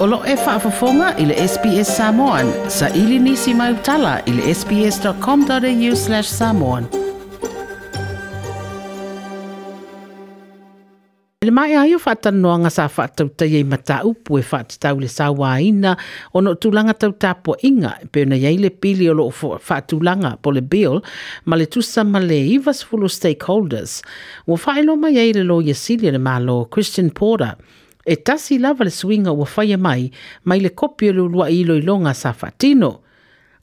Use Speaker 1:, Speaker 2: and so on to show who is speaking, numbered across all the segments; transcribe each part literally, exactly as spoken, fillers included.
Speaker 1: O loo e faafofoga i le S B S Samoan, saili nisi mau tala i le S B S dot com dot A U slash Samoan. Le mai ai o faatalanoaga sa faatautaia i mataupu e faatatau le sauaina ona o tulaga tau tapuaiga e pei ona i ai le pili o loo faatulaga po le bill ma le tusa ma le ninety stakeholders. Ua faailoa mai ai le Loia Sili a le Malo Christian Porter e tasi lava le suiga ua faia mai mai le kopi o le uluai iloiloga sa faatino.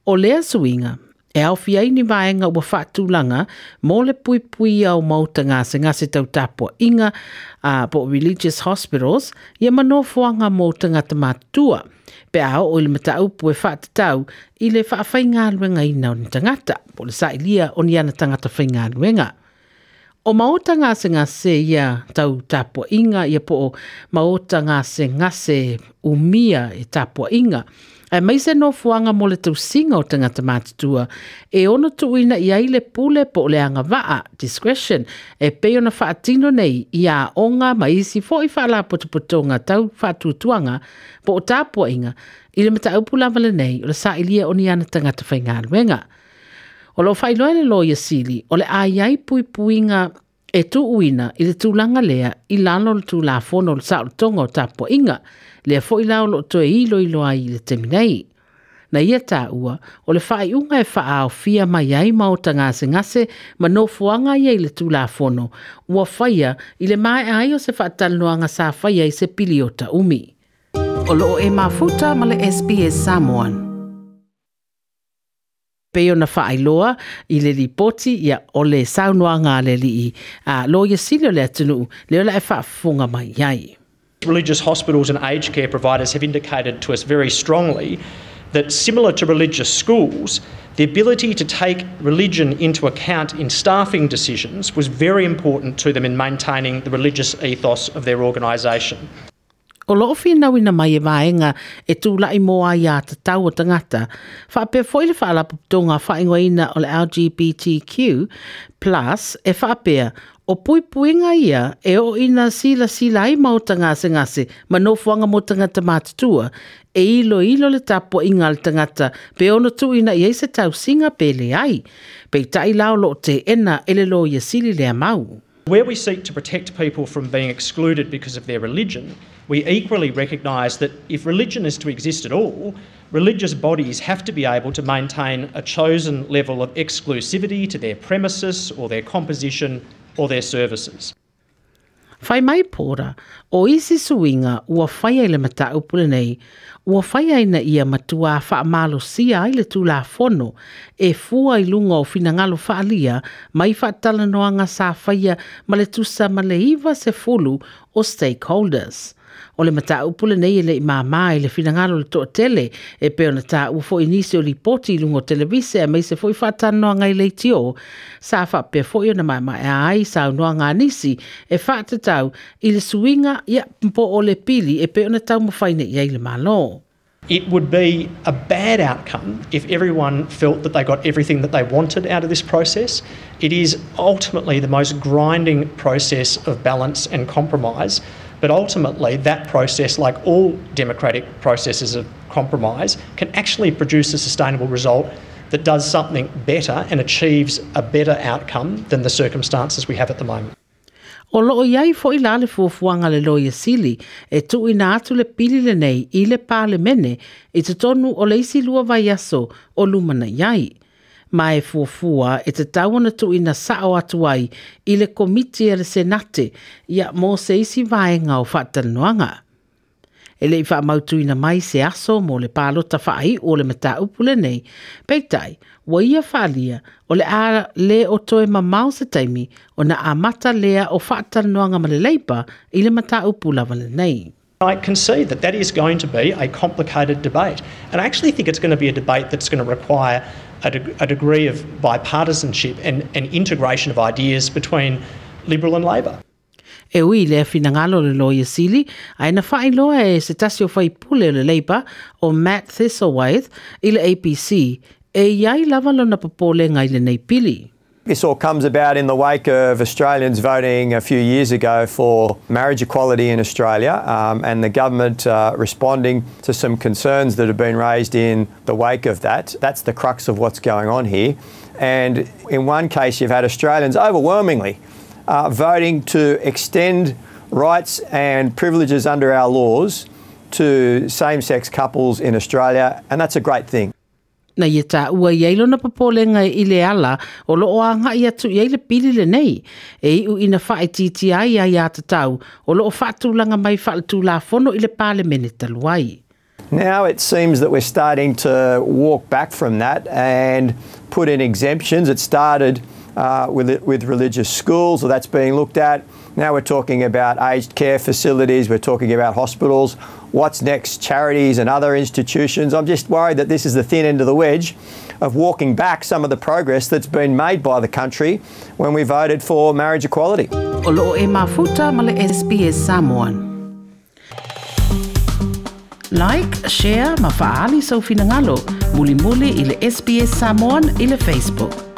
Speaker 1: O lea suiga e aofia ai ni vaega ua faatulaga mo le puipuia o maota gasegase tau tapuaiga uh, po religious hospitals ia ma nofoaga mo tagata matutua pe a oo i le mataupu e faatatau i le faafaigaluegaina o ni tagata po le sailia o ni ana tagata faigaluega. O maota gasegase ia tau tapuaiga ia po o maota gasegase umia e tapuaiga aemaise nofoaga mo le tausiga o tagata matutua e ono tuuina i ai le pule po o le agavaa discretion e pei ona faatino nei i aoga ma isi fo'i faalapotopotoga tau faatuatuaga po o tapuaiga i le mataupu lava lenei o le sailia o ni ana tagata faigaluega. O loo faailoa le Loia Sili o le a i ai puipuiga e tuuina i le tulaga lea i lalo o le Tulafono o le Saolotoga o Tapuaiga, lea foi la o loo toe iloilo ai i le taimi nei. Na ia taua, o le faaiuga e faaaofia mai ai maota gasegase ma nofoaga ia i le Tulafono, ua faia i le maea ai o se faatalanoaga sa faia i se piliota umi. O loo e mafuta ma le S B S Samoan. Pei ona faailoa i le lipoti ia o le saunoaga a le alii a Loia Sili o le atunuu lea o le e faafofoga mai ai.
Speaker 2: Religious hospitals and aged care providers have indicated to us very strongly that, similar to religious schools, the ability to take religion into account in staffing decisions was very important to them in maintaining the religious ethos of their organisation.
Speaker 1: O loo finauina mai e vaega e tula'i mo aiā tatau o tagata. Faapea foi le faalapotopotoga faaigoaina o le L G B T Q plus e faapea o puipuiga ia e oo ina silasila ai maota gasegase ma nofoaga mo tagata matutua e iloilo le tapuaiga a le tagata pe ono tuuina i ai se tausiga pe leai. Peitai la o loo teena e le Loia Sili lea mau.
Speaker 2: Where we seek to protect people from being excluded because of their religion, we equally recognise that if religion is to exist at all, religious bodies have to be able to maintain a chosen level of exclusivity to their premises or their composition or their services.
Speaker 1: Fai mai Porter, o isi suiga ua faia i le mataupu lenei, ua faia ina ia matua faamalosia ai le Tulafono e fua i luga o finagalo faaalia mai faatalanoaga sa faia ma le tusa ma le iva sefulu o stakeholders. O le mataupu lenei e le'i māmā i le finagalo o le toatele e pei ona taua foi nisi o lipoti i luga o televise aemaise foi faatalanoaga i leitio sa faapea foi ona maemaea ai saunoaga a nisi e faatatau i le suiga ia po o le pili e pei ona taumafai nei i ai le Malo.
Speaker 2: It would be a bad outcome if everyone felt that they got everything that they wanted out of this process. It is ultimately the most grinding process of balance and compromise. But ultimately, that process, like all democratic processes of compromise, can actually produce a sustainable result that does something better and achieves a better outcome than the circumstances we have at the moment.
Speaker 1: O loo i ai foi la le fuafuaga le Loia Sili e tuuina atu le pili lenei i le Palemene i totonu o le isi lua vaiaso o lumanai ai. Ma e fuafua e tatau ona tuuina sao atu ai i le komiti a le Senate ia mo se isi vaega o faatalanoaga. E le'i faamautuina mai se aso mo le palota faaiu o le mataupu lenei. Peitai, ua ia faalia o le a le o toe mamao se taimi ona amata lea o faatalanoaga ma le Labour i le mataupu lava lenei.
Speaker 2: I can see that that is going to be a complicated debate. And I actually think it's going to be a debate that's going to require a, de- a degree of bipartisanship and, and integration of ideas between Liberal and Labor.
Speaker 1: E ui lea finagalo le Loia Sili, ae na faailoa e se tasi o faipule o le Labour o Matt Thistlethwaite i le A B C e i ai lava lona popolega i lenei pili.
Speaker 3: This all comes about in the wake of Australians voting a few years ago for marriage equality in Australia, um, and the government uh, responding to some concerns that have been raised in the wake of that. That's the crux of what's going on here. And in one case, you've had Australians overwhelmingly uh, voting to extend rights and privileges under our laws to same-sex couples in Australia, and that's a great thing.
Speaker 1: Na ia taua i ai lona popolega i le ala o loo aga'i atu i ai le pili lenei e iʻu ina faaitiitia ai aiā tatau o loo faatulaga mai faaletulafono i le Palemene talu ai.
Speaker 3: Now it seems that we're starting to walk back from that and put in exemptions. It started uh, with, with religious schools, so that's being looked at. Now we're talking about aged care facilities, we're talking about hospitals. What's next? Charities and other institutions. I'm just worried that this is the thin end of the wedge of walking back some of the progress that's been made by the country when we voted for marriage equality.
Speaker 1: O loo e mafuta ma le S B S Samoan. Like, share ma faali sau finagalo. Mulimuli i le S B S Samoan i le Facebook.